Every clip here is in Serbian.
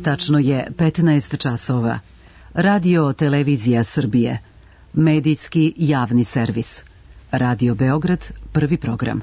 Tačno je 15 časova. Radio Televizija Srbije. Medijski javni servis. Radio Beograd, prvi program.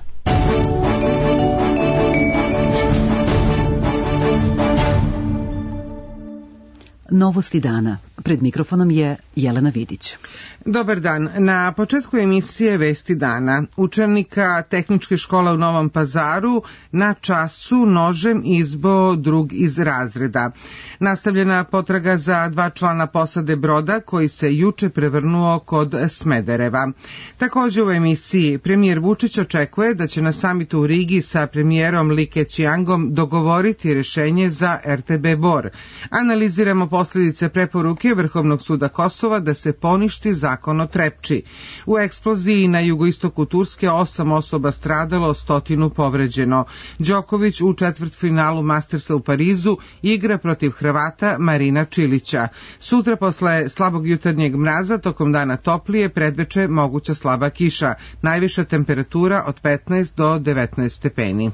Novosti dana. Pred mikrofonom je Jelena Vidić. Dobar dan. Na početku emisije Vesti dana učenika Tehničke škole u Novom Pazaru na času nožem izboo drug iz razreda. Nastavljena potraga za 2 člana posade broda koji se juče prevrnuo kod Smedereva. Također u emisiji premijer Vučić očekuje da će na samitu u Rigi sa premijerom Li Keqiangom dogovoriti rešenje za RTB Bor. Analiziramo posljedice preporuke Vrhovnog suda Kosova da se poništi zakon o Trepči. U eksploziji na jugoistoku Turske 8 osoba stradalo, 100 povređeno. Đoković u četvrtfinalu Mastersa u Parizu igra protiv Hrvata Marina Čilića. Sutra posle slabog jutarnjeg mraza tokom dana toplije, predveče moguća slaba kiša. Najviša temperatura od 15 do 19 stepeni.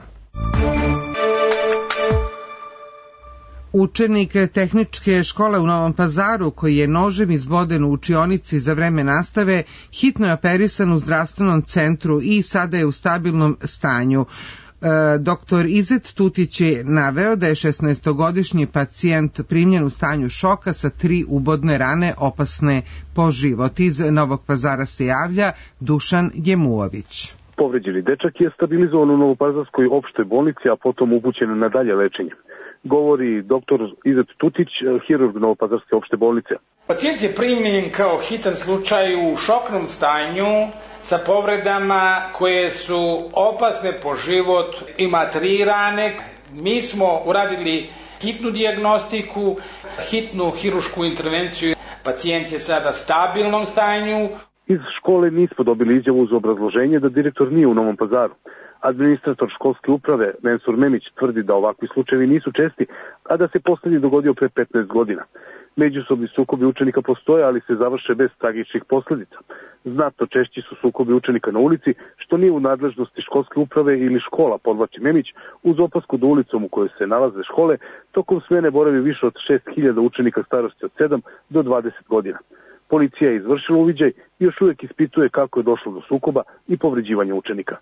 Učenik Tehničke škole u Novom Pazaru koji je nožem izboden u učionici za vreme nastave hitno je operisan u zdravstvenom centru i sada je u stabilnom stanju. Doktor Izet Tutić je naveo da je 16-godišnji pacijent primljen u stanju šoka sa 3 ubodne rane opasne po život. Iz Novog Pazara se javlja Dušan Jemuović. Povređeni dečak je stabilizovan u Novopazarskoj opštoj bolnici, a potom upućen na dalje lečenje. Govori doktor Izet Tutić, hirurg Novopazarske opšte bolnice. Pacijent je primljen kao hitan slučaj u šoknom stanju sa povredama koje su opasne po život. Ima 3 rane. Mi smo uradili hitnu dijagnostiku, hitnu hirušku intervenciju. Pacijent je sada u stabilnom stanju. Iz škole nismo dobili izjavu uz obrazloženje da direktor nije u Novom Pazaru. Administrator školske uprave Mensur Memić tvrdi da ovakvi slučajevi nisu česti, a da se poslednji dogodio pre 15 godina. Međusobni sukobi učenika postoje, ali se završe bez tragičnih posledica. Znatno češći su sukobi učenika na ulici, što nije u nadležnosti školske uprave ili škola, podvlači Memić, uz opasku da ulicom u kojoj se nalaze škole tokom smene boravi više od 6.000 učenika starosti od 7 do 20 godina. Policija je izvršila uviđaj i još uvijek ispituje kako je došlo do sukoba i povređivanja učenika.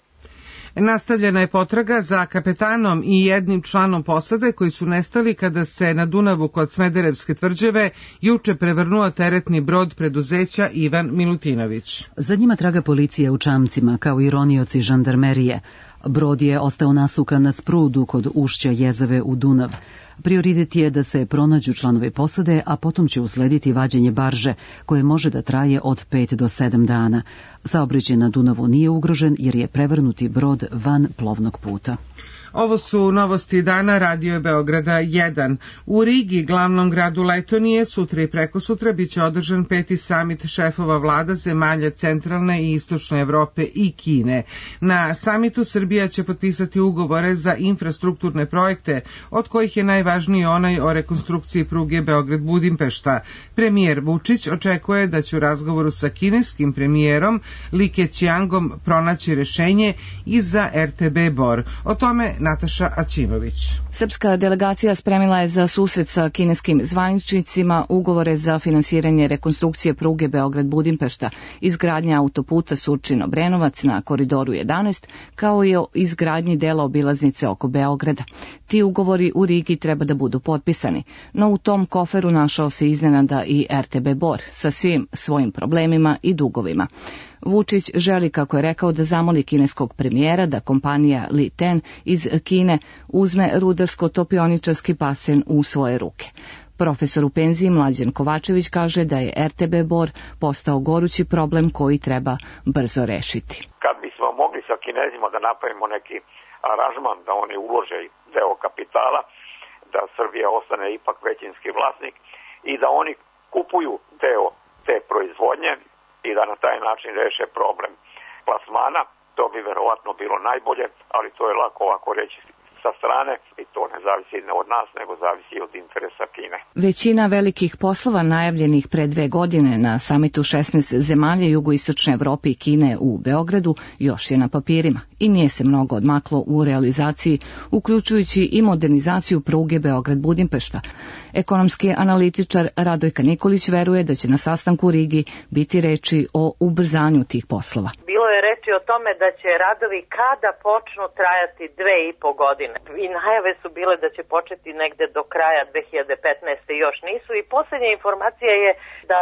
Nastavljena je potraga za kapetanom i jednim članom posade koji su nestali kada se na Dunavu kod Smederevske tvrđave juče prevrnuo teretni brod preduzeća Ivan Milutinović. Za njima traga policija u čamcima, kao i ronioci žandarmerije. Brod je ostao nasukan na sprudu kod ušća Jezave u Dunav. Prioritet je da se pronađu članovi posade, a potom će uslediti vađenje barže, koje može da traje od 5 do 7 dana. Saobraćaj na Dunavu nije ugrožen jer je prevrnuti brod van plovnog puta. Ovo su novosti dana Radio Beograda 1. U Rigi, glavnom gradu Letonije, sutra i prekosutra biće održan 5. samit šefova vlada zemalja centralne i istočne Evrope i Kine. Na samitu Srbija će potpisati ugovore za infrastrukturne projekte, od kojih je najvažniji onaj o rekonstrukciji pruge Beograd-Budimpešta. Premijer Vučić očekuje da će u razgovoru sa kineskim premijerom Li Keqiangom pronaći rešenje i za RTB Bor. O tome Nataša Aćimović. Srpska delegacija spremila je za susret sa kineskim zvaničnicima ugovore za finansiranje rekonstrukcije pruge Beograd-Budimpešta, izgradnja autoputa Surčin-Obrenovac na koridoru 11, kao i o izgradnji dela obilaznice oko Beograda. Ti ugovori u Rigi treba da budu potpisani, no u tom koferu našao se iznenada i RTB Bor sa svim svojim problemima i dugovima. Vučić želi, kako je rekao, da zamoli kineskog premijera da kompanija Li Ten iz Kine uzme rudarsko-topioničarski basen u svoje ruke. Profesor u penziji Mlađan Kovačević kaže da je RTB Bor postao gorući problem koji treba brzo rešiti. Kad bismo mogli sa Kinezima da napravimo neki aranžman da oni ulože deo kapitala, da Srbija ostane ipak većinski vlasnik i da oni kupuju deo te proizvodnje i da na taj način reše problem plasmana, to bi verovatno bilo najbolje, ali to je lako ovako reći sa strane i to ne zavisi ne od nas, nego zavisi od interesa Kine. Većina velikih poslova najavljenih pre 2 godine na samitu 16 zemalja jugoistočne Evrope i Kine u Beogradu još je na papirima i nije se mnogo odmaklo u realizaciji, uključujući i modernizaciju pruge Beograd-Budimpešta. Ekonomski analitičar Radojka Nikolić veruje da će na sastanku u Rigi biti reči o ubrzanju tih poslova. Bilo je reči o tome da će radovi kada počnu trajati 2,5 godine. I najave su bile da će početi negde do kraja 2015. još nisu. I posljednja informacija je da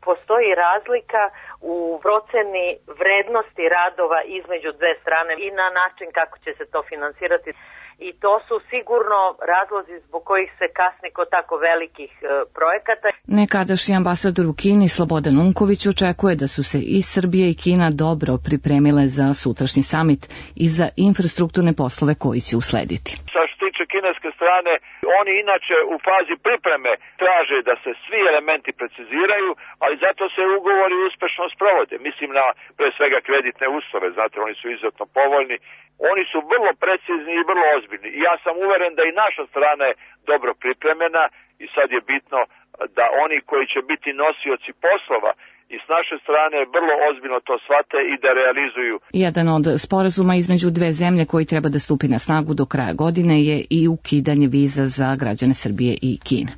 postoji razlika u proceni vrednosti radova između dve strane i na način kako će se to finansirati. I to su sigurno razlozi zbog kojih se kasni kod tako velikih projekata. Nekadašnji ambasador u Kini Slobodan Unković očekuje da su se i Srbija i Kina dobro pripremile za sutrašnji samit i za infrastrukturne poslove koji će uslediti. Što se tiče kineske strane, oni inače u fazi pripreme traže da se svi elementi preciziraju, ali zato se ugovori uspešno sprovode. Mislim na pre svega kreditne uslove, znate, oni su izuzetno povoljni. Oni su vrlo precizni i vrlo ozbiljni. I ja sam uveren da i naša strana je dobro pripremljena i sad je bitno da oni koji će biti nosioci poslova i s naše strane vrlo ozbiljno to shvate i da realizuju. Jedan od sporazuma između dve zemlje koji treba da stupi na snagu do kraja godine je i ukidanje viza za građane Srbije i Kine.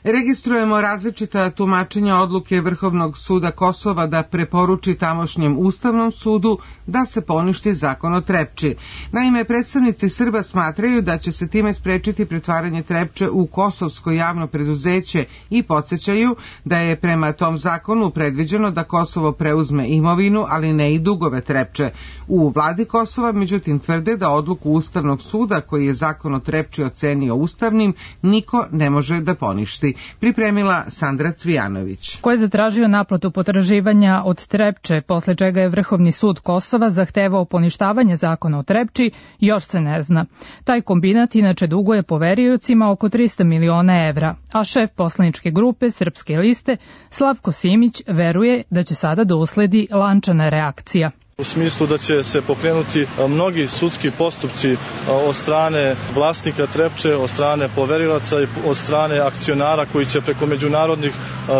Registrujemo različita tumačenja odluke Vrhovnog suda Kosova da preporuči tamošnjem Ustavnom sudu da se poništi zakon o Trepči. Naime, predstavnici Srba smatraju da će se time sprečiti pretvaranje Trepče u kosovsko javno preduzeće i podsjećaju da je prema tom zakonu predviđeno da Kosovo preuzme imovinu, ali ne i dugove Trepče. U vladi Kosova, međutim, tvrde da odluku Ustavnog suda koji je zakon o Trepči ocenio ustavnim niko ne može da poništi. Pripremila Sandra Cvijanović. Ko je zatražio naplatu potraživanja od Trepče, posle čega je Vrhovni sud Kosova zahtevao poništavanje zakona o Trepči, još se ne zna. Taj kombinat inače duguje poveriocima oko 300 miliona evra, a šef poslaničke grupe Srpske liste Slavko Simić veruje da će sada da usledi lančana reakcija. U smislu da će se pokrenuti mnogi sudski postupci od strane vlasnika Trepče, od strane poverilaca i od strane akcionara koji će preko međunarodnih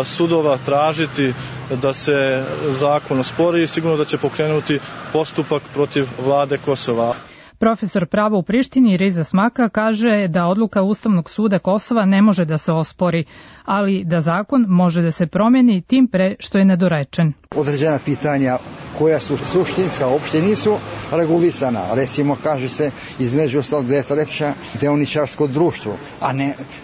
sudova tražiti da se zakon ospori i sigurno da će pokrenuti postupak protiv vlade Kosova. Profesor prava u Prištini Riza Smaka kaže da odluka Ustavnog suda Kosova ne može da se ospori, ali da zakon može da se promeni tim pre što je nedorečen. Određena pitanja koja su suštinska uopšte nisu regulisana. Recimo, kaže se između ostalog da je Trepča deoničarsko društvo, a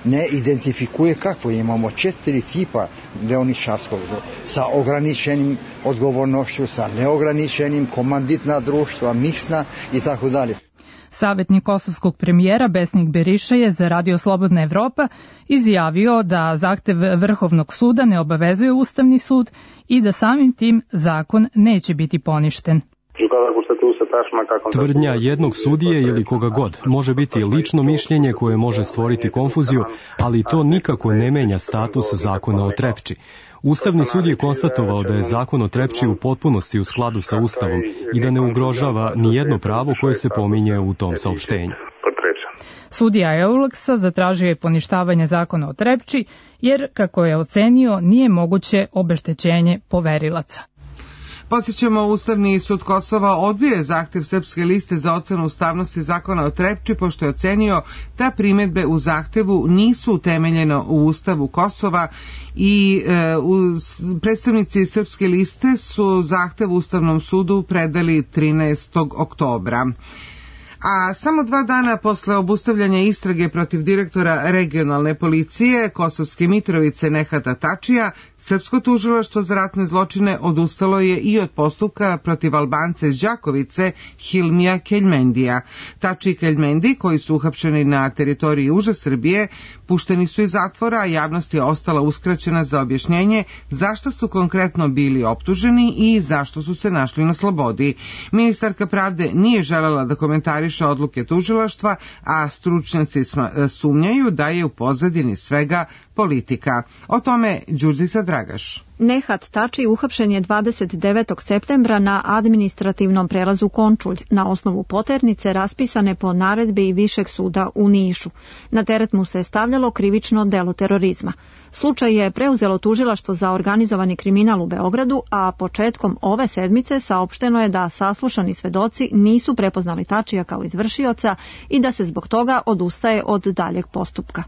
ne identifikuje kakvo. Imamo 4 tipa deoničarskog sa ograničenim odgovornošću, sa neograničenim, komanditna društva, miksna i tako dalje. Savjetnik kosovskog premijera Besnik Beriša je za Radio Slobodna Evropa izjavio da zahtev Vrhovnog suda ne obavezuje Ustavni sud i da samim tim zakon neće biti poništen. Tvrdnja jednog sudije ili koga god može biti lično mišljenje koje može stvoriti konfuziju, ali to nikako ne menja status zakona o Trepči. Ustavni sud je konstatovao da je zakon o Trepči u potpunosti u skladu sa Ustavom i da ne ugrožava ni jedno pravo koje se pominje u tom saopštenju. Sudija Euleksa zatražio je poništavanje zakona o Trepči jer, kako je ocenio, nije moguće obeštećenje poverilaca. Podsjećamo, Ustavni sud Kosova odbio je zahtev Srpske liste za ocenu ustavnosti zakona o Trepči, pošto je ocenio da primedbe u zahtevu nisu utemeljene u Ustavu Kosova i predstavnici Srpske liste su zahtev Ustavnom sudu predali 13. oktobra. A samo 2 dana posle obustavljanja istrage protiv direktora regionalne policije Kosovske Mitrovice Nehata Tačija, Srpsko tužilaštvo za ratne zločine odustalo je i od postupka protiv Albance iz Đakovice Hilmija Keljmendija. Tači i Keljmendi, koji su uhapšeni na teritoriji južne Srbije, pušteni su iz zatvora, a javnost je ostala uskraćena za objašnjenje zašto su konkretno bili optuženi i zašto su se našli na slobodi. Ministarka pravde nije želela da komentariše odluke tužilaštva, a stručnjaci sumnjaju da je u pozadini svega politika. O tome Đurđica Dragaš. Nehat Tači uhapšen je 29. septembra na administrativnom prelazu Končulj na osnovu poternice raspisane po naredbi Višeg suda u Nišu. Na teret mu se stavljalo krivično delo terorizma. Slučaj je preuzelo tužilaštvo za organizovani kriminal u Beogradu, a početkom ove sedmice saopšteno je da saslušani svedoci nisu prepoznali Tačija kao izvršioca i da se zbog toga odustaje od daljeg postupka.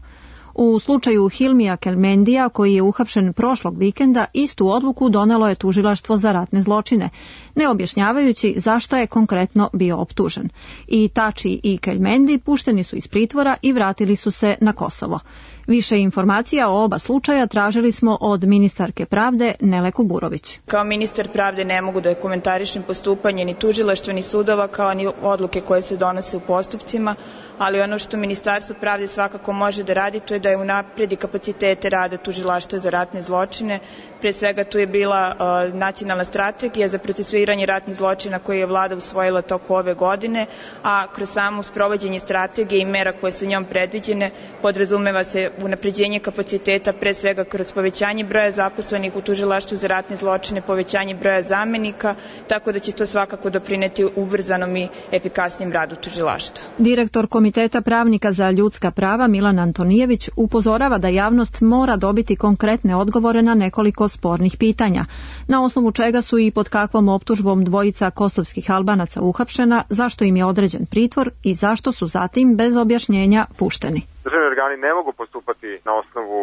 U slučaju Hilmija Kelmendija, koji je uhapšen prošlog vikenda, istu odluku donelo je tužilaštvo za ratne zločine, ne objašnjavajući zašto je konkretno bio optužen. I Tači i Kelmendi pušteni su iz pritvora i vratili su se na Kosovo. Više informacija o oba slučaja tražili smo od ministarke pravde Nele Kuburović. Kao ministar pravde ne mogu da komentarišem postupanje ni tužilaštva ni sudova kao ni odluke koje se donose u postupcima, ali ono što Ministarstvo pravde svakako može da radi to je da je unapredi kapacitete rada tužilaštva za ratne zločine. Pre svega tu je bila nacionalna strategija za procesuiranje ratnih zločina koju je vlada usvojila toku ove godine, a kroz samo sprovođenje strategije i mera koje su njom predviđene podrazumeva se unapređenje kapaciteta, pre svega kroz povećanje broja zaposlenih u tužilaštvu za ratne zločine, povećanje broja zamenika, tako da će to svakako doprineti ubrzanom i efikasnijem radu tužilaštva. Direktor Komiteta pravnika za ljudska prava Milan Antonijević upozorava da javnost mora dobiti konkretne odgovore na nekoliko spornih pitanja, na osnovu čega su i pod kakvom optužbom dvojica kosovskih Albanaca uhapšena, zašto im je određen pritvor i zašto su zatim bez objašnjenja pušteni. Državni organi ne mogu postupati na osnovu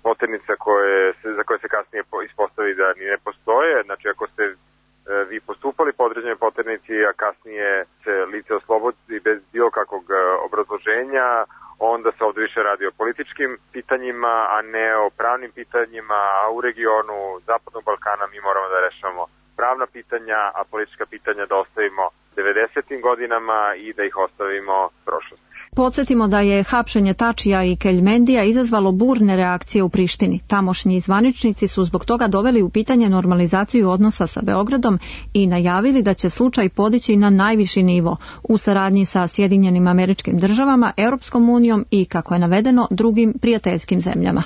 poternica za koje se kasnije ispostavi da ni ne postoje. Znači, ako ste vi postupali po određenoj poternici, a kasnije se lice oslobodi bez bilo kakvog obrazloženja, onda se ovdje više radi o političkim pitanjima, a ne o pravnim pitanjima, a u regionu Zapadnog Balkana mi moramo da rešavamo pravna pitanja, a politička pitanja da ostavimo 90. godinama i da ih ostavimo prošlosti. Podsjetimo da je hapšenje Tačija i Keljmendija izazvalo burne reakcije u Prištini. Tamošnji zvaničnici su zbog toga doveli u pitanje normalizaciju odnosa sa Beogradom i najavili da će slučaj podići na najviši nivo u saradnji sa Sjedinjenim Američkim Državama, Europskom unijom i, kako je navedeno, drugim prijateljskim zemljama.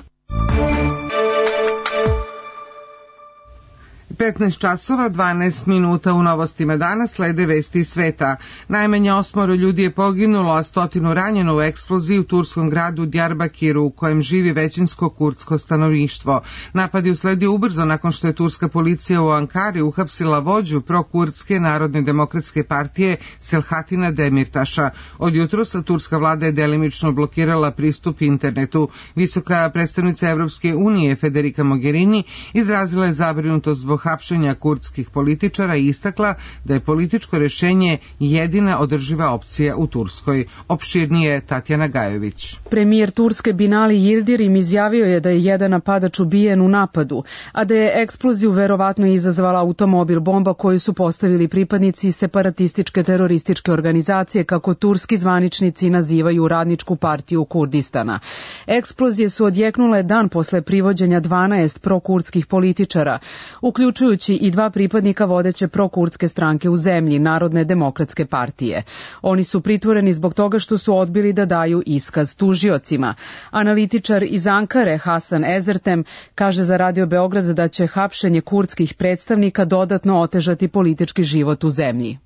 15 časova, 12 minuta u novostima danas slede vesti iz sveta. Najmanje 8 ljudi je poginulo, a 100 ranjeno u eksploziji u turskom gradu Diyarbakiru, u kojem živi većinsko kurdsko stanovništvo. Napad je usledio ubrzo nakon što je turska policija u Ankari uhapsila vođu prokurdske Narodne demokratske partije Selahattina Demirtaša. Od jutrosa turska vlada je delimično blokirala pristup internetu. Visoka predstavnica Evropske unije Federica Mogherini izrazila je zabrinutost zbog hapšenja kurdskih političara i istakla da je političko rješenje jedina održiva opcija u Turskoj. Opširnije Tatjana Gajović. Premijer Turske Binali Yildirim izjavio je da je jedan napadač ubijen u napadu, a da je eksploziju verovatno izazvala automobil bomba koju su postavili pripadnici separatističke terorističke organizacije, kako turski zvaničnici nazivaju Radničku partiju Kurdistana. Eksplozije su odjeknule dan posle privođenja 12 prokurdskih političara, uključujući i 2 pripadnika vodeće prokurdske stranke u zemlji, Narodne demokratske partije. Oni su pritvoreni zbog toga što su odbili da daju iskaz tužiocima. Analitičar iz Ankare Hasan Ezertem kaže za Radio Beograd da će hapšenje kurdskih predstavnika dodatno otežati politički život u zemlji.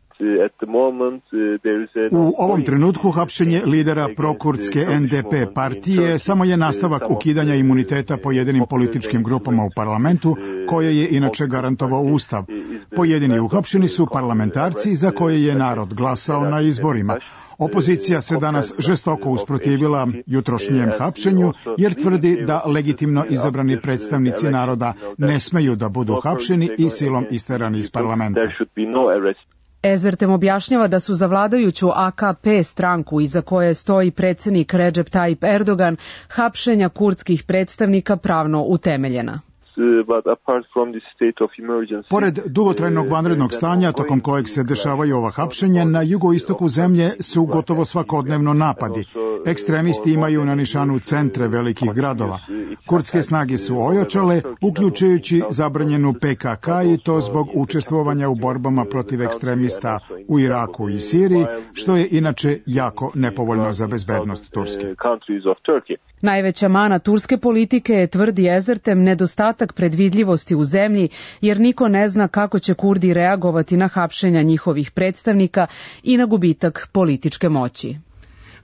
U ovom trenutku hapšenje lidera prokurdske NDP partije samo je nastavak ukidanja imuniteta pojedinim političkim grupama u parlamentu, koje je inače garantovao Ustav. Pojedini uhapšeni su parlamentarci za koje je narod glasao na izborima. Opozicija se danas žestoko usprotivila jutrošnjem hapšenju jer tvrdi da legitimno izabrani predstavnici naroda ne smeju da budu hapšeni i silom isterani iz parlamenta. Ezertem objašnjava da su za vladajuću AKP stranku iza koje stoji predsjednik Recep Tayyip Erdogan hapšenja kurdskih predstavnika pravno utemeljena. Pored dugotrajnog vanrednog stanja tokom kojeg se dešavaju ova hapšenja, na jugoistoku zemlje su gotovo svakodnevno napadi. Ekstremisti imaju na nišanu centre velikih gradova. Kurdske snage su ojačale, uključujući zabranjenu PKK, i to zbog učestvovanja u borbama protiv ekstremista u Iraku i Siriji, što je inače jako nepovoljno za bezbednost Turske. Najveća mana turske politike je, tvrdi Ezertem, nedostatak predvidljivosti u zemlji, jer niko ne zna kako će Kurdi reagovati na hapšenja njihovih predstavnika i na gubitak političke moći.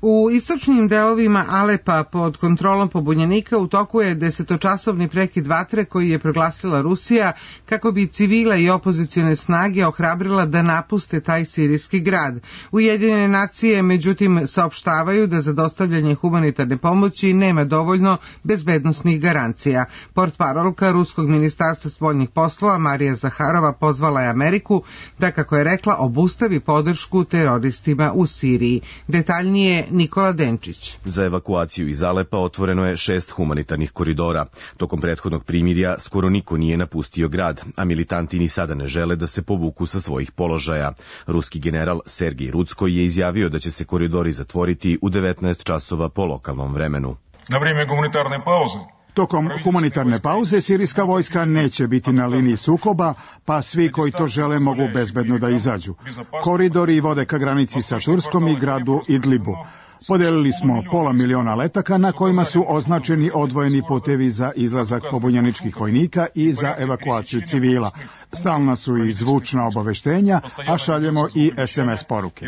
U istočnim delovima Alepa pod kontrolom pobunjenika u toku je 10-časovni prekid vatre koji je proglasila Rusija kako bi civile i opozicione snage ohrabrila da napuste taj sirijski grad. Ujedinjene nacije međutim saopštavaju da za dostavljanje humanitarne pomoći nema dovoljno bezbednosnih garancija. Portparolka Ruskog ministarstva spoljnih poslova Marija Zaharova pozvala je Ameriku da, kako je rekla, obustavi podršku teroristima u Siriji. Detaljnije Nikola Denčić. Za evakuaciju iz Alepa otvoreno je 6 humanitarnih koridora. Tokom prethodnog primirja skoro niko nije napustio grad, a militanti ni sada ne žele da se povuku sa svojih položaja. Ruski general Sergij Rudskoj je izjavio da će se koridori zatvoriti u 19 časova po lokalnom vremenu. Na vrijeme humanitarne pauze Tokom humanitarne pauze sirijska vojska neće biti na liniji sukoba, pa svi koji to žele mogu bezbedno da izađu. Koridori vode ka granici sa Turskom i gradu Idlibu. Podelili smo 500.000 letaka na kojima su označeni odvojeni putevi za izlazak pobunjeničkih vojnika i za evakuaciju civila. Stalna su i zvučna obaveštenja, a šaljemo i SMS poruke.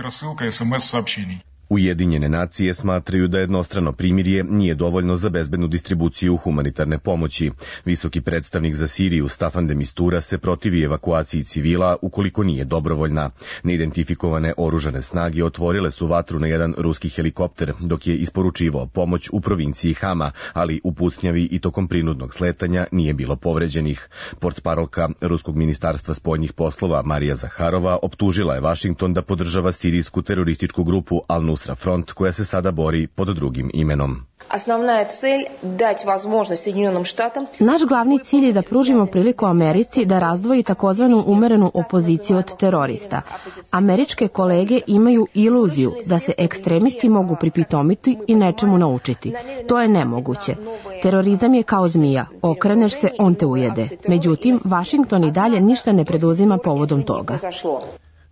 Ujedinjene nacije smatraju da jednostrano primirje nije dovoljno za bezbednu distribuciju humanitarne pomoći. Visoki predstavnik za Siriju Staffan de Mistura se protivi evakuaciji civila ukoliko nije dobrovoljna. Neidentifikovane oružane snage otvorile su vatru na jedan ruski helikopter dok je isporučivao pomoć u provinciji Hama, ali u pucnjavi i tokom prinudnog sletanja nije bilo povređenih. Portparolka Ruskog ministarstva spoljnih poslova Marija Zaharova optužila je Vašington da podržava sirijsku terorističku grupu Al-Nusra Front, koja se sada bori pod drugim imenom. Naš glavni cilj je da pružimo priliku Americi da razdvoji takozvanu umerenu opoziciju od terorista. Američke kolege imaju iluziju da se ekstremisti mogu pripitomiti i nečemu naučiti. To je nemoguće. Terorizam je kao zmija. Okreneš se, on te ujede. Međutim, Vašington i dalje ništa ne preduzima povodom toga.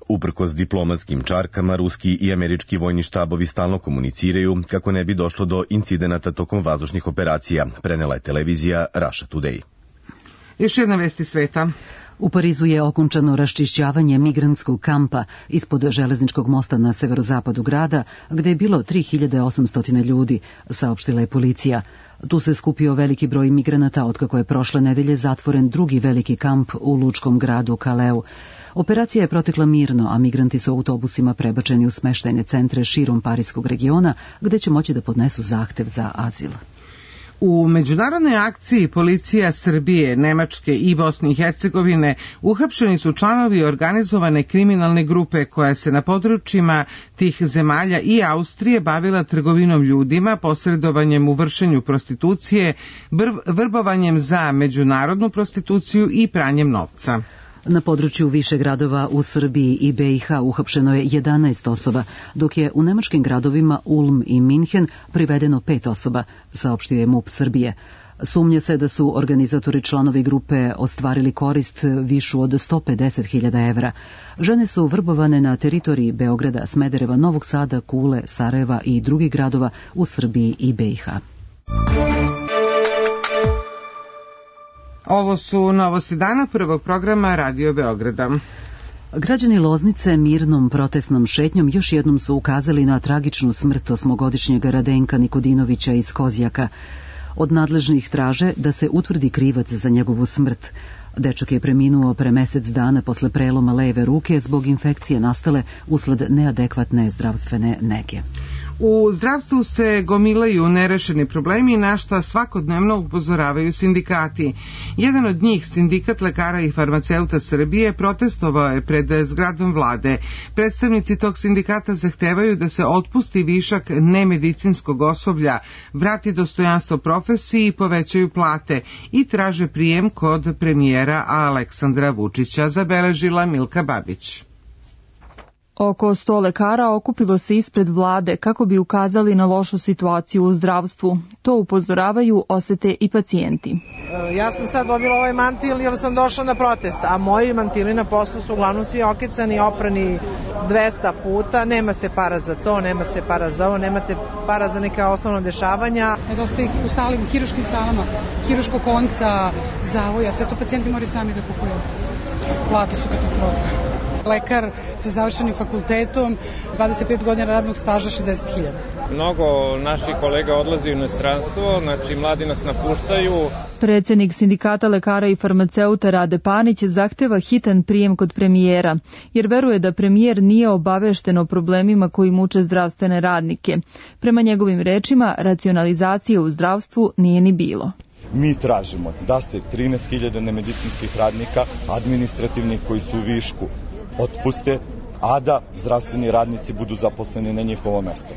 Uprkos diplomatskim čarkama, ruski i američki vojni štabovi stalno komuniciraju kako ne bi došlo do incidenata tokom vazdušnih operacija, prenela je televizija Russia Today. Još jedna vest iz sveta. U Parizu je okončano raščišćavanje migrantskog kampa ispod železničkog mosta na severozapadu grada, gde je bilo 3800 ljudi, saopštila je policija. Tu se skupio veliki broj migranata otkako je prošle nedelje zatvoren drugi veliki kamp u lučkom gradu Kaleu. Operacija je protekla mirno, a migranti su autobusima prebačeni u smeštajne centre širom parijskog regiona, gde će moći da podnesu zahtev za azil. U međunarodnoj akciji policija Srbije, Nemačke i Bosne i Hercegovine uhapšeni su članovi organizovane kriminalne grupe koja se na područjima tih zemalja i Austrije bavila trgovinom ljudima, posredovanjem u vršenju prostitucije, vrbovanjem za međunarodnu prostituciju i pranjem novca. Na području više gradova u Srbiji i BiH uhapšeno je 11 osoba, dok je u nemačkim gradovima Ulm i Minhen privedeno 5 osoba, saopštio je MUP Srbije. Sumnje se da su organizatori članovi grupe ostvarili korist višu od 150.000 evra. Žene su vrbovane na teritoriji Beograda, Smedereva, Novog Sada, Kule, Sarajeva i drugih gradova u Srbiji i BiH. Ovo su novosti dana prvog programa Radio Beograda. Građani Loznice mirnom protestnom šetnjom još jednom su ukazali na tragičnu smrt 8-godišnjeg Radenka Nikodinovića iz Kozjaka. Od nadležnih traže da se utvrdi krivac za njegovu smrt. Dečak je preminuo pre mesec dana posle preloma leve ruke zbog infekcije nastale usled neadekvatne zdravstvene nege. U zdravstvu se gomilaju nerešeni problemi na šta svakodnevno upozoravaju sindikati. Jedan od njih, Sindikat lekara i farmaceuta Srbije, protestovao je pred zgradom vlade. Predstavnici tog sindikata zahtevaju da se otpusti višak nemedicinskog osoblja, vrati dostojanstvo profesiji i povećaju plate i traže prijem kod premijera Aleksandra Vučića, zabeležila Milka Babić. Oko 100 lekara okupilo se ispred vlade kako bi ukazali na lošu situaciju u zdravstvu. To upozoravaju, osete i pacijenti. Ja sam sad dobila ovaj mantil jer sam došla na protest, a moji mantili na poslu su uglavnom svi okecani, oprani 200 puta, nema se para za to, nema se para za ovo, nemate para za neka osnovna dešavanja. Nedostaje ih u hiruškim salama, hiruškog konca, zavoja, sve to pacijenti moraju sami da kupuju. Plate su katastrofa. Lekar sa završenim fakultetom, 25 godina radnog staža, 60.000. Mnogo naših kolega odlazi u inostranstvo, znači mladi nas napuštaju. Predsednik Sindikata lekara i farmaceuta Rade Panić zahteva hitan prijem kod premijera, jer veruje da premijer nije obavešten o problemima koji muče zdravstvene radnike. Prema njegovim rečima, racionalizacije u zdravstvu nije ni bilo. Mi tražimo da se 13.000 nemedicinskih radnika, administrativnih koji su u višku, otpuste, a da zdravstveni radnici budu zaposleni na njihovo mesto.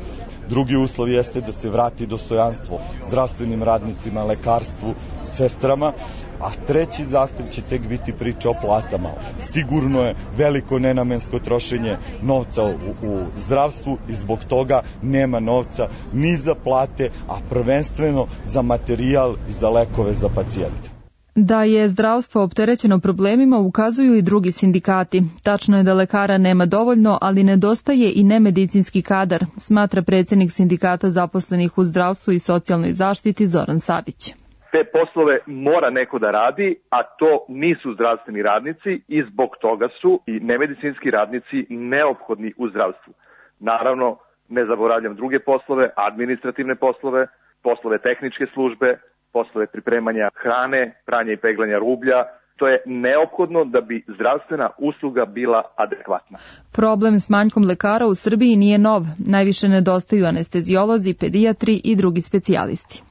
Drugi uslov jeste da se vrati dostojanstvo zdravstvenim radnicima, lekarstvu, sestrama, a treći zahtev će tek biti priča o platama. Sigurno je veliko nenamensko trošenje novca u zdravstvu i zbog toga nema novca ni za plate, a prvenstveno za materijal i za lekove za pacijente. Da je zdravstvo opterećeno problemima ukazuju i drugi sindikati. Tačno je da lekara nema dovoljno, ali nedostaje i nemedicinski kadar, smatra predsednik Sindikata zaposlenih u zdravstvu i socijalnoj zaštiti Zoran Savić. Te poslove mora neko da radi, a to nisu zdravstveni radnici i zbog toga su i nemedicinski radnici neophodni u zdravstvu. Naravno, ne zaboravljam druge poslove, administrativne poslove, poslove tehničke službe, poslove pripremanja hrane, pranja i peglanja rublja. To je neophodno da bi zdravstvena usluga bila adekvatna. Problem s manjkom lekara u Srbiji nije nov. Najviše nedostaju anestezijolozi, pedijatri i drugi specijalisti.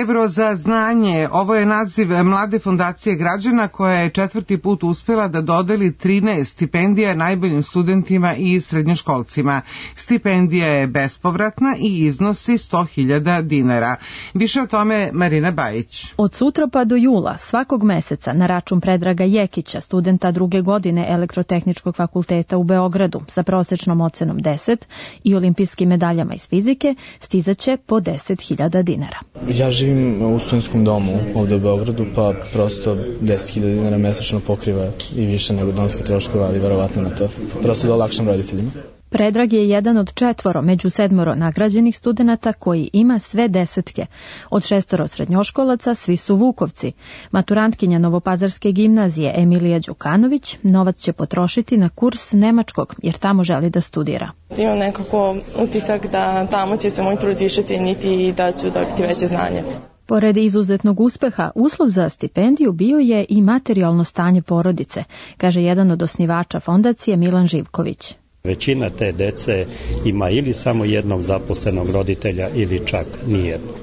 Evro za znanje, ovo je naziv mlade fondacije građana koja je 4. put uspela da dodeli 13 stipendija najboljim studentima i srednjoškolcima. Stipendija je bespovratna i iznosi 100.000 dinara. Više o tome Marina Bajić. Od sutra pa do jula svakog meseca na račun Predraga Jekića, studenta 2. godine Elektrotehničkog fakulteta u Beogradu sa prosečnom ocenom 10 i olimpijskim medaljama iz fizike, stizaće po 10.000 dinara. Ja živim u studentskom domu ovde u Beogradu, pa prosto 10.000 dinara mesečno pokriva i više nego domske troškove, ali verovatno na to. Prosto da olakšam roditeljima. Predrag je jedan od 4 među 7 nagrađenih studenata koji ima sve 10. Od 6 srednjoškolaca svi su Vukovci. Maturantkinja Novopazarske gimnazije Emilija Đukanović novac će potrošiti na kurs nemačkog jer tamo želi da studira. Imam nekako utisak da tamo će se moj trud više cijeniti i da ću dobiti veće znanje. Pored izuzetnog uspeha, uslov za stipendiju bio je i materijalno stanje porodice, kaže jedan od osnivača fondacije Milan Živković. Većina te dece ima ili samo jednog zaposlenog roditelja ili čak nijednog.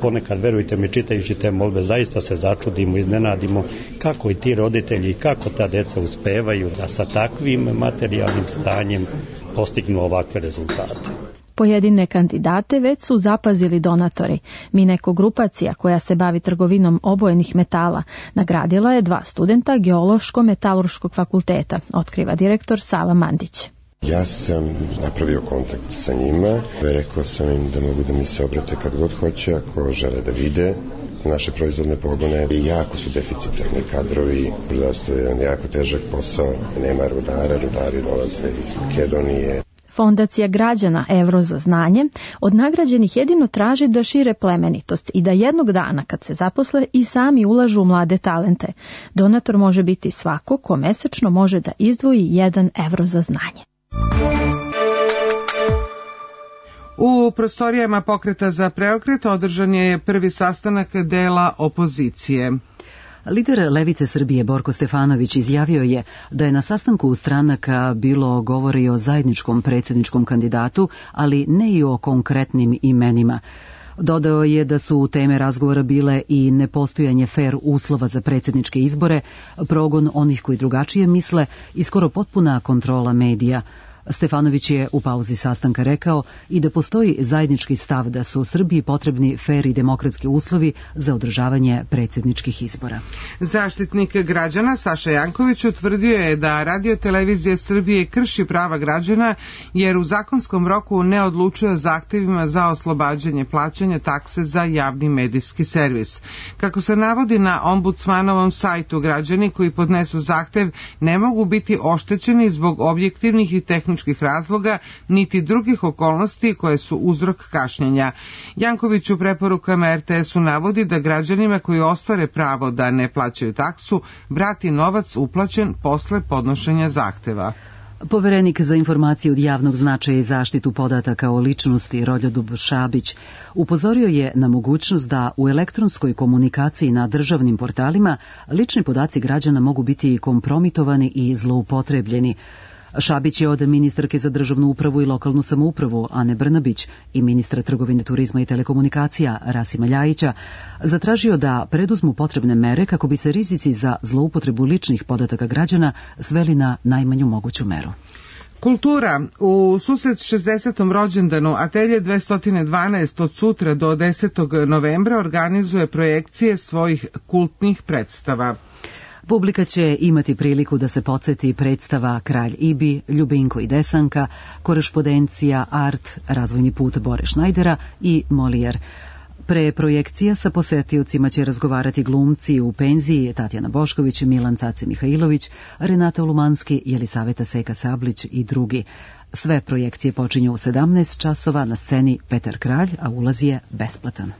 Ponekad, verujte mi, čitajući te molbe, zaista se začudimo, iznenadimo kako i ti roditelji i kako ta deca uspevaju da sa takvim materijalnim stanjem postignu ovakve rezultate. Pojedine kandidate već su zapazili donatori. Mineko Grupacija, koja se bavi trgovinom obojenih metala, nagradila je 2 studenta Geološko-metalurškog fakulteta, otkriva direktor Sava Mandić. Ja sam napravio kontakt sa njima, rekao sam im da mogu da mi se obrate kad god hoće, ako žele da vide naše proizvodne pogone. Jako su deficitarni kadrovi, rudarstvo je jedan jako težak posao, nema rudara, rudari dolaze iz Makedonije. Fondacija građana Evro za znanje od nagrađenih jedino traži da šire plemenitost i da jednog dana kad se zaposle i sami ulažu u mlade talente. Donator može biti svako ko mesečno može da izdvoji 1 evro za znanje. U prostorijama Pokreta za preokret održan je prvi sastanak dela opozicije. Lider Levice Srbije Borko Stefanović izjavio je da je na sastanku stranaka bilo govori o zajedničkom predsjedničkom kandidatu, ali ne i o konkretnim imenima. Dodao je da su teme razgovora bile i nepostojanje fer uslova za predsjedničke izbore, progon onih koji drugačije misle i skoro potpuna kontrola medija. Stefanović je u pauzi sastanka rekao i da postoji zajednički stav da su Srbiji potrebni fer i demokratski uslovi za održavanje predsjedničkih izbora. Zaštitnik građana Saša Janković utvrdio je da Radio-televizija Srbije krši prava građana jer u zakonskom roku ne odlučuje o zahtevima za oslobađanje plaćanja takse za javni medijski servis. Kako se navodi na ombudsmanovom sajtu, građani koji podnesu zahtev ne mogu biti oštećeni zbog objektivnih i tehničkih razloga niti drugih okolnosti koje su uzrok kašnjenja. Janković u preporukama RTS-u navodi da građanima koji ostvare pravo da ne plaćaju taksu vrati novac uplaćen posle podnošenja zahteva. Poverenik za informacije od javnog značaja i zaštitu podataka o ličnosti Roljodub Šabić upozorio je na mogućnost da u elektronskoj komunikaciji na državnim portalima lični podaci građana mogu biti kompromitovani i zloupotrebljeni. Šabić je od ministarke za državnu upravu i lokalnu samoupravu Ane Brnabić i ministra trgovine, turizma i telekomunikacija Rasima Ljajića zatražio da preduzmu potrebne mere kako bi se rizici za zloupotrebu ličnih podataka građana sveli na najmanju moguću meru. Kultura. U susret 60. rođendanu Atelje 212 od sutra do 10. novembra organizuje projekcije svojih kultnih predstava. Publika će imati priliku da se podsjeti predstava Kralj Ibi, Ljubinko i Desanka, Korespondencija, Art, Razvojni put Bore Šnajdera i Molijer. Pre projekcija sa posetiocima će razgovarati glumci u penziji Tatjana Bošković, Milan Cace Mihajlović, Renata Lumanski, Jelisaveta Seka Sablić i drugi. Sve projekcije počinju u 17 časova na sceni Petar Kralj, a ulaz je besplatan.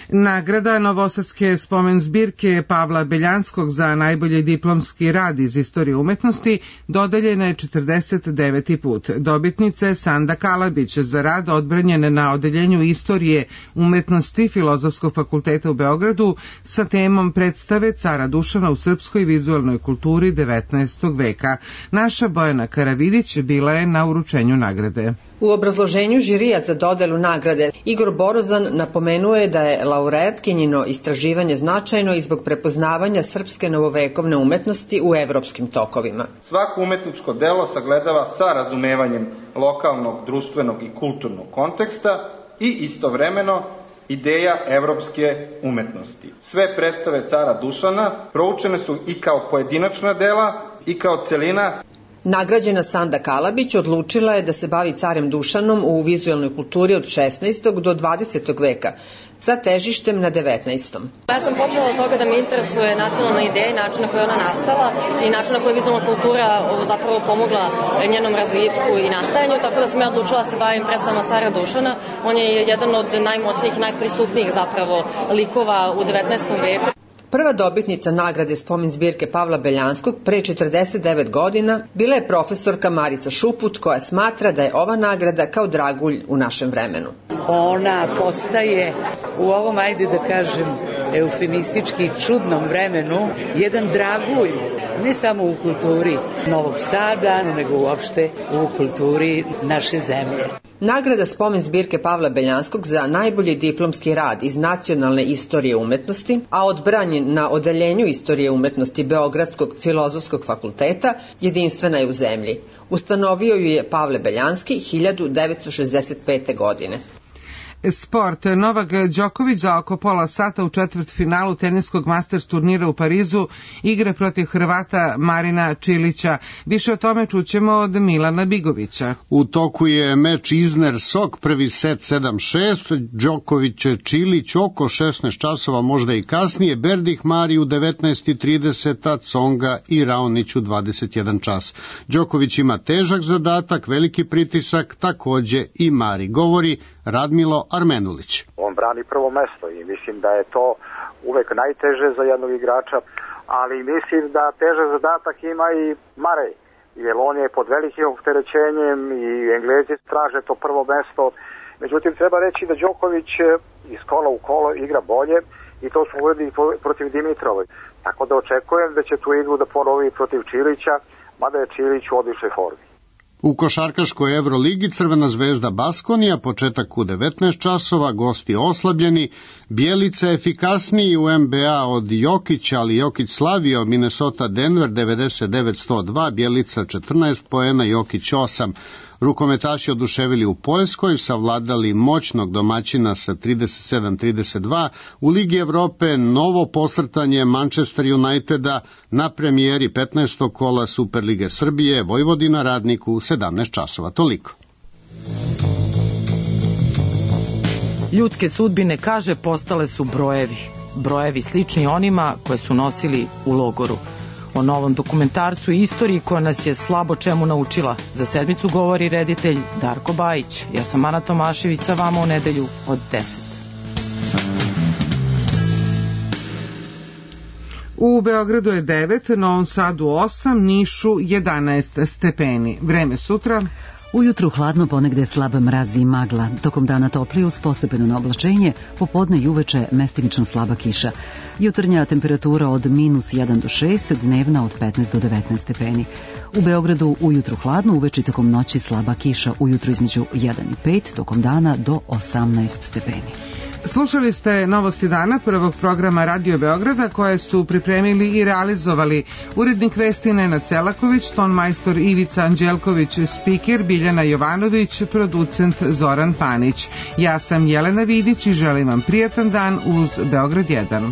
Nagrada Novosadske spomen zbirke Pavla Beljanskog za najbolji diplomski rad iz istorije umetnosti dodeljena je 49. put. Dobitnica je Sanda Kalabić za rad odbranjen na odeljenju istorije umetnosti Filozofskog fakulteta u Beogradu sa temom predstave Cara Dušana u srpskoj vizualnoj kulturi 19. veka. Naša Bojana Karavidić bila je na uručenju nagrade. U obrazloženju žirija za dodelu nagrade Igor Borozan napomenuo je da je laureatkinjino istraživanje značajno i zbog prepoznavanja srpske novovekovne umetnosti u evropskim tokovima. Svako umetničko delo sagledava sa razumevanjem lokalnog, društvenog i kulturnog konteksta i istovremeno ideja evropske umetnosti. Sve predstave Cara Dušana proučene su i kao pojedinačna dela i kao celina. Nagrađena Sanda Kalabić odlučila je da se bavi carem Dušanom u vizualnoj kulturi od 16. do 20. veka, sa težištem na 19. Ja sam počela od toga da me interesuje nacionalna ideja i način na koji je ona nastala i način na koji je vizualna kultura zapravo pomogla njenom razvitku i nastajanju, tako da sam ja odlučila da se bavim predstavama cara Dušana. On je jedan od najmoćnijih i najprisutnijih zapravo likova u 19. veku. Prva dobitnica nagrade spomen zbirke Pavla Beljanskog pre 49 godina bila je profesorka Marica Šuput, koja smatra da je ova nagrada kao dragulj u našem vremenu. Ona postaje u ovom, ajde da kažem, eufemistički čudnom vremenu jedan dragulj, ne samo u kulturi Novog Sada, nego uopšte u kulturi naše zemlje. Nagrada spomen zbirke Pavla Beljanskog za najbolji diplomski rad iz nacionalne istorije umetnosti, a odbranjen na odeljenju istorije umetnosti Beogradskog filozofskog fakulteta, jedinstvena je u zemlji. Ustanovio ju je Pavle Beljanski 1965. godine. Sport. Novak Đoković za oko pola sata u četvrtfinalu teniskog Masters turnira u Parizu igra protiv Hrvata Marina Čilića. Više o tome čućemo od Milana Bigovića. U toku je meč Izner-Sok, prvi set 7-6, Đoković-Čilić oko 16 časova, možda i kasnije, Berdih Mari u 19:30, Tsonga i Raonić u 21 čas. Đoković ima težak zadatak, veliki pritisak, takođe i Mari. Govori Radmilo Armenulić. On brani prvo mesto i mislim da je to uvek najteže za jednog igrača, ali mislim da težak zadatak ima i Marej, jer on je pod velikim opterećenjem i Englezi traže to prvo mesto. Međutim, treba reći da Đoković iz kola u kolo igra bolje i to su uvedili protiv Dimitrove. Tako da očekujem da će tu igru da ponovi protiv Čilića, mada je Čilić u odličnoj formi. U košarkaškoj Evroligi Crvena zvezda Baskonija, početak u 19 časova, gosti oslabljeni, Bjelica efikasniji u NBA od Jokića, ali Jokić slavio Minnesota Denver 99-102, Bjelica 14 poena, Jokić 8. Rukometaši oduševili u Poljskoj, savladali moćnog domaćina sa 37-32, u Ligi Evrope novo posrtanje Manchester Uniteda na premijeri 15. kola Superlige Srbije, Vojvodina Radniku 17 časova. Toliko. Ljudske sudbine, kaže, postale su brojevi. Brojevi slični onima koje su nosili u logoru. O novom dokumentarcu i istoriji koja nas je slabo čemu naučila. Za sedmicu govori reditelj Darko Bajić. Ja sam Ana Tomašević, sa vama u nedelju od 10. U Beogradu je 9, Novom Sadu 8, Nišu 11 stepeni. Vreme sutra. Ujutru hladno, ponegde slab mraz i magla. Tokom dana toplije uz postepeno na oblačenje, popodne i uveče mestimično slaba kiša. Jutarnja temperatura od -1 do 6, dnevna od 15 do 19 stepeni. U Beogradu ujutru hladno, uveče i tokom noći slaba kiša, ujutru između 1 i 5, tokom dana do 18 stepeni. Slušali ste Novosti dana prvog programa Radio Beograda koje su pripremili i realizovali urednik vesti Nenad Selaković, tonmajstor Ivica Anđelković, spiker Biljana Jovanović, producent Zoran Panić. Ja sam Jelena Vidić i želim vam prijatan dan uz Beograd 1.